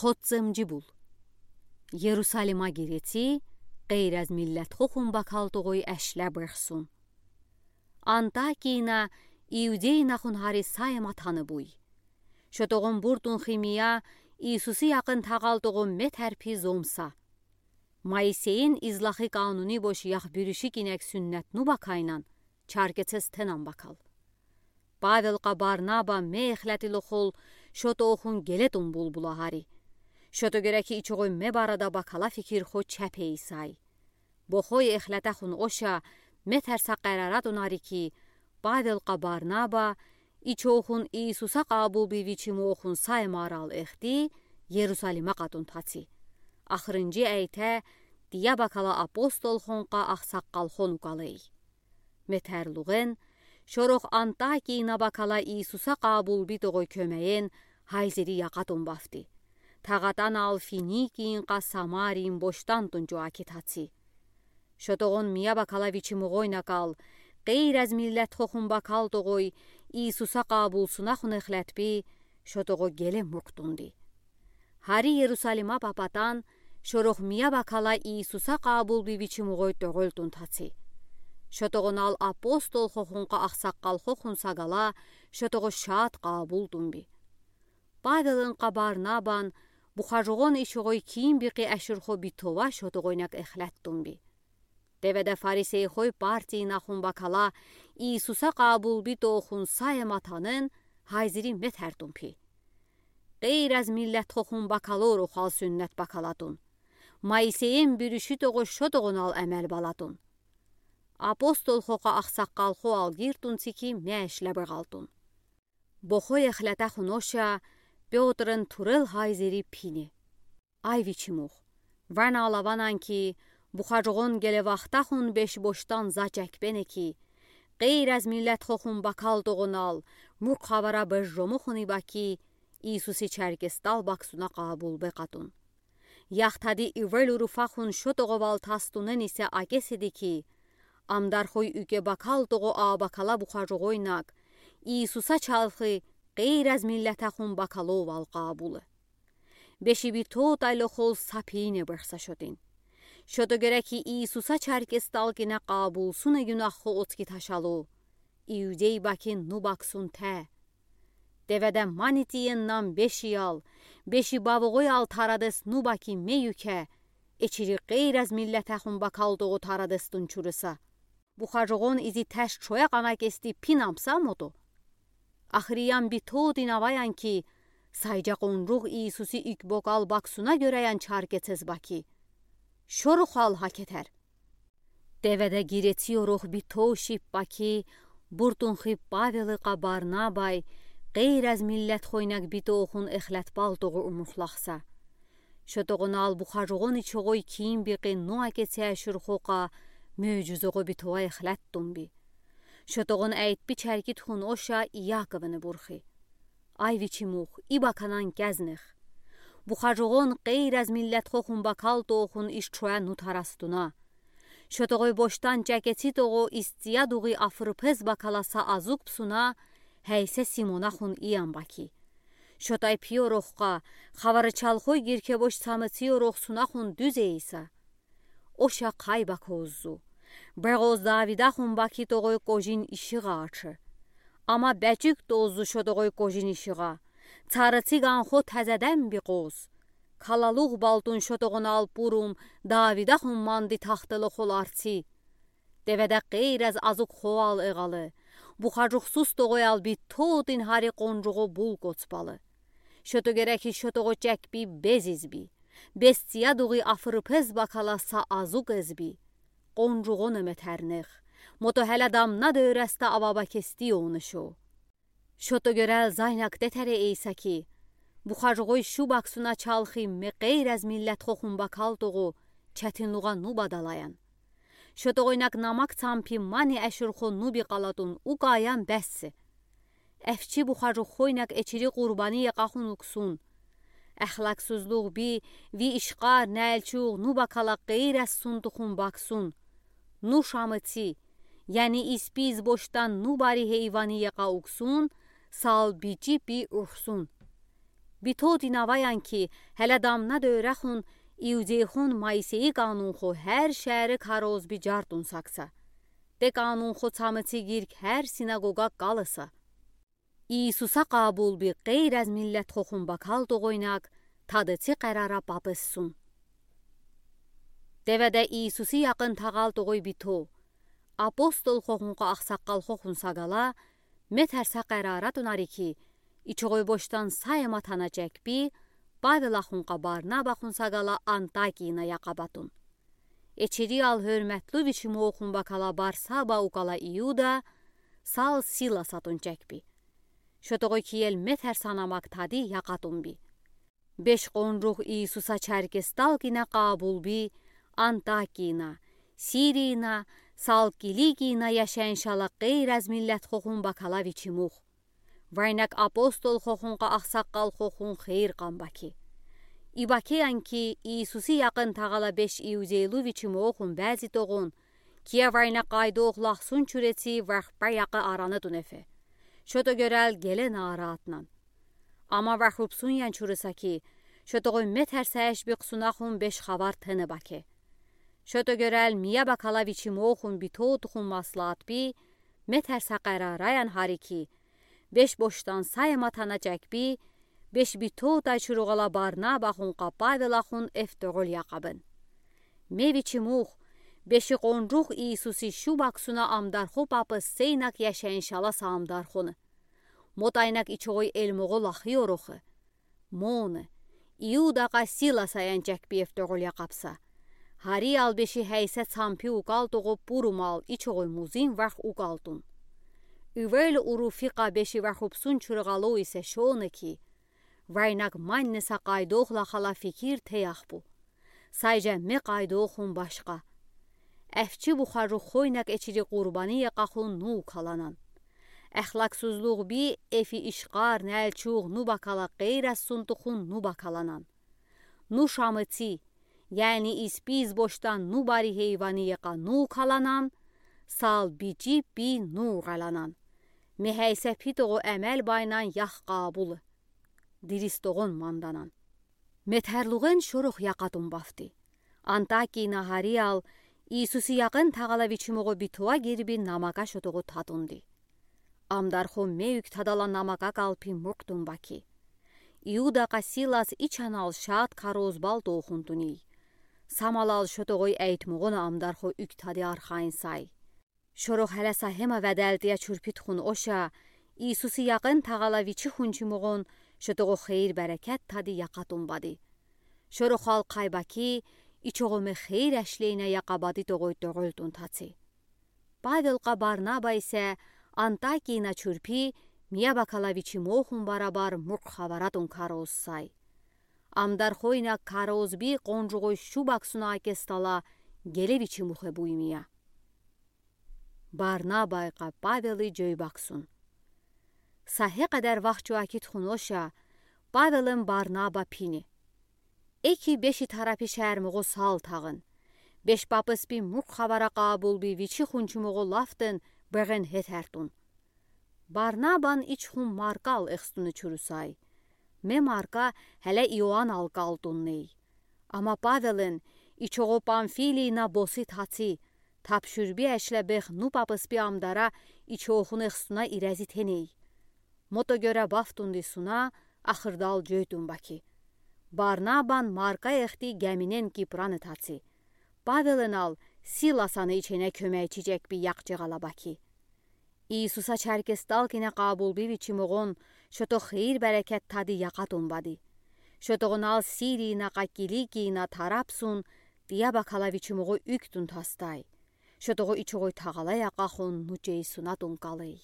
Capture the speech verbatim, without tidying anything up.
Кодземджи бул. Ерусалима гиреци, гъейраз миллетхохун бакал тугъуй эшле быхсун. Антакина Иудейнахун гьари са ма таны буй. Шотогъун буртун химия Иисуси яхын тагъал тугъун метер пи зомса. Моисейин излахи кануни бош ях бюрюшик инек суннет ну бакайнан, чаркецез тенан бакал. Павел къа Барнаба ме эхлетилохул шотохун гелетун булбула гьари. Шото герек ичогъуй ме барада бакала фикирхо чапейсай. Бохой эхлетахун оша метер са къераратун ари ки, Павел къа Барнаба ичохун Иисуса къабулби вичимохун са марал эхди Ерусалима къатун таци. Ахырынджи эйте, тия бакала апостолхон къа ахсаккалхон укалей. Метер лугъен, шорох Антакина бакала Иисуса къабулби тугъуй кёмеен гьайзири якъатун бафти. Тагъатанал Финикиин къа Самариин боштан тунчу аки таци. Шотогъун мия бакала вичимугъойнакал, гъейраз миллетхохун бакал тугъуй Иисуса къабулсунахун эхлетби, шотогъу геле муркътунди. Гьари Ерусалима папатан, шорох мия бакала Иисуса къабулби вичимугъой тёгъел тун таци. Шотогъунал апостолхохун къа ахсаккалхохун сагала, шотогъу шат къабул тунби. Павелын къа Барнабан, бухажугъун ичогъуй ким бикъи эшурхо битова шотогъуйнек эхлет тунби. Деведе фарисейхой партиинахун бакала Иисуса къабулби тухун са ма танын гьайзири метер тун пи. Гъейраз миллетхохун бакалорух ал суннет бакалатун. Моисейин бюрюши тугъу шотогъунал эмел балатун. Апостолхо къа ахсаккалхо ал гиртун цики мешле быгъалтун. Бохой эхлетахун оша Пётрын турел гьайзири пине. Ай вичимух. Ванал аванан ки, бухажугъун геле вахтахун беш боштан за чекбене ки, гъейраз миллетхохун бакал тугъунал, муркъ хавара бежромухун иба ки, Иисуси чаркестал баксуна къабулбе къатун. Яхтади ивел уруфахун шотогъувал тастунен исе акесиди ки, амдархой уьке бакал тугъу а бакала бухажугъойнак, Иисуса чалхи гъейраз миллетахун бакаловал къабулы. Беши битотайлохул са пиине быхса шотин. Шото герек ки Иисуса чаркестал кине къабулсуне гюнаххо оцки ташалу. Иудей бакин ну баксун те. Деведе мани тиеннан бешиял, беши бавугъуял тарадес ну баки ме юке, эчири гъейраз миллетахун бакал тугъу тарадес тунчурыса. Бухажугъун изи теш чоя къана кести пинамса мото. Ахыриян битотин аваян ки, сайжа къунругъ Иисуси уьк бокал баксуна гёреян чаркецез баки. Шорухал гьакетер. Деведе гиреци орух битошип баки, буртунхи Павелы къа Барнабай, гъейраз миллетхойнак битохун эхлетбал тугъу умухлахса. Шотогъунал бухажугъун ичогъуй ким бикъи ну акеце эшурхо къа, мюжюзогъу битова эхлет тунби. Шотогъун эйтби чаркит хун оша Иаковыны бурхи. Ай вичимух, и баканан кезнех. Бухажугъун гъейраз миллетхохун бакал тухун иш чоя ну тарастуна. Шотогъуй боштан чекеци тугъу истия дугъи афырпез бакала са азук псуна, гьейсе Симонахун иян баки. Шотай пиорухха, хаварычалхой гирке бош самыци орухсунахун дуьз эйса. Оша кай бакоззу. Бегъоз Давидахун баки тугъуй кожин ишигъа ачы. Ама бечик тоззу шотогъуй кожин ишигъа. Царыци ганхо тезеден бикъоз. Калалугъ балтун шотогъунал пурум Давидахун манди тахтылы холарци. Деведе гъейраз азук хоал эгъалы. Бухажухсуз тугъуял битотин гьари къунругъу бул коцбалы. Шото герек ки шотогъу чекби безизби. Бестия дугъи афырпез бакала са азук эзби. Къунругъуну метернех. Мото гьеле дамна дёресте ава бакести онышо. Шото гёрел зайнак детере эйса ки, бухажугъуй шу баксуна чалхи ме гъейраз миллетхохун бакал тугъу четинлугъа ну бадалаян. Шотогъуйнак намак цампи мани эшурхо ну бикъалатун укаян бессе. Эфчи бухажуххойнак эчири къурбани якъахун уксун. Эхлаксузлугъ би, ви ишкъар, нелчугъ ну бакала гъейраз сунтухун баксун. Ну шамыци, яни испиз боштан ну бари гьейвани якъа уксун, сал бичи пи урхсун. Би тотын аваян ки, геле дамна дерехун иудейхон Моисейи канунхо гер шеере кароз би жартун сагса. Те канунхо цамыци гирк гер синагога калыса. Иисуса кабул би гейр аз миллетхохун бакал тогойнаг тадыци керара папысун. Деведе Иисуси якын тагал тогой би то, апостолхохун ка аксаккалхохун сагала, метерса керара тунар ики, ичогой бошдан сая матана чекби, Павел ахун ка Барнаба ахун сагала Антакийна якабатун. Эчири ал герметлу вичимохун бакала Барсаба укала Иуда, сал Силаса тун чекби. Шотогой киел метерса намак тади якатун би. Беш конрух Иисуса черкестал гине кабул би Антакийна, Сирийна, сал Киликийна яшаяншала гейр аз миллетхохун бакала вичимух. Вайнак апостолхохун ка аксаккалхохун хейир кан баки. И бакиян ки Иисуси якын тагала беш иудейлу вичимохун бази тогун, кия вайнак кайдох лахсун чуреци варх ба якы араны тунефе. Шото герел гелена аратнан. Ама варх упсуньян чурыса ки, шотогой метерса эш би ксунахун беш хавар тыны баки. Шото герел мия бакала вичимохун би тотхун маслат би, метерса керараян хари ки, беш бошдан сая матана чекби, беш би тотай чуругала Барнаба ахун ка Павел ахун эфтогол якабын. Ме вичимух, беши конрух Иисуси шу баксуна амдархо папыссенак яшаяншала са амдархоны. Мотайнак ичогой элмого лахи орохы. Моны, Иуда ка Силасаян чекби эфтогол якабса. Хари ал беши гейсе цампи укал того пурумал ичогой музин варх укалтун. Ивел уруфи ка беши варх упсун чургалу исе шоны ки, вайнак маннеса кайдох лахала фикир теях бу. Сайжа ме кайдохун башка. Эфчи бухару хойнак эчири курбани якахун ну каланан. Эхлаксузлух би эфи ишкар нелчух ну бакала гейр аз сунтухун ну бакаланан. Ну шамыци, яни испиз бошдан ну бари хейвани яка ну каланан, сал бичи би ну каланан. Ме гейсе пи того эмел байнан ях кабулы. Дирис тогон манданан. Метерлуген шорох якатун бафти. Антакийна хари ал Иисуси якын тагала вичимого би тоа гирби намака шотого татунди. Амдархо ме уьк тадала намака калпи мурктун баки. Иуда ка Силас ичанал шат кароз бал тохунтуни. Самалал шотогой эйтмогона амдархо уьк тади архайн сай. Шорох геле са гема веделтия чурпитхун оша, Иисуси якын тагала вичи хунчимогон шотого хейир берекет тади якатун бади. Шорох ал кай баки, ичого ме хейир эшлейна якабади тогой тоголтун таци. Павел ка Барнаба исе Антакийна чурпи, мия бакала вичимохун барабар мурк хаваратун кароз сай. Амдархойна кароз би конжугой шу баксуна акестала геле вичимухе буймия. Барнабай ка Павелы жой баксун. Са гекадар вахчу акитхун оша, Павелын Барнаба пини. Эки беши тарапи шермого сал тагын. Беш папыс би мурк хавара кабул би вичи хунчимого лафтын беген хетертун. Барнабан ичхун Маркал эхстуны чурусай. Ме Марка геле Иоанал калтунней. Ама Павелын ичого Памфилийна босы таци, тапшурби эшле бех ну папыс би амдара ичохун эхстуна ирези теней. Мото гёре бафтунди суна, ахырдал жойтун баки. Барнабан Марка эхти геминен Кипраны таци. Павелын ал Силасаны ичене кёмечи жек би якчыгала баки. Иисуса чаркестал кине кабул би вичимогон шото хейир берекет тади якатун бади. Шотогон ал Сирийна ка Киликийна тарапсун, тия бакала вичимого уьктун тастай. Шотого ичогой тагала якахун нучей сунатун калей.